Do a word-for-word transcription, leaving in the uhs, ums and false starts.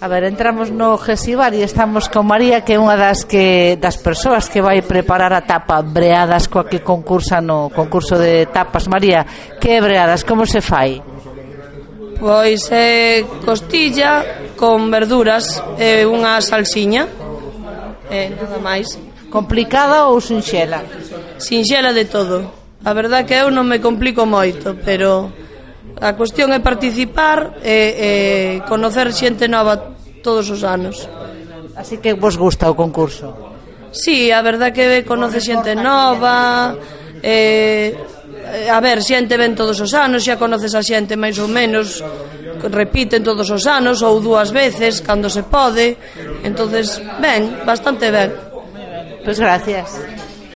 A ver, entramos no Gesibar e estamos con María, que é unha das que das persoas que vai preparar a tapa Breadas, coa que concursa no concurso de tapas. María, que é Breadas? Como se fai? Pois é costilla con verduras e unha salsiña e nada máis. Complicada ou sinxela? Sinxela de todo. A verdad que eu non me complico moito, pero a cuestión é participar e, e conocer xente nova todos os anos. Así que vos gusta o concurso? Sí, a verdad que conoce xente nova, e, a ver, xente ven todos os anos, xa conoces a xente máis ou menos, repiten todos os anos ou dúas veces cando se pode, entonces ben, bastante ben. Pois gracias.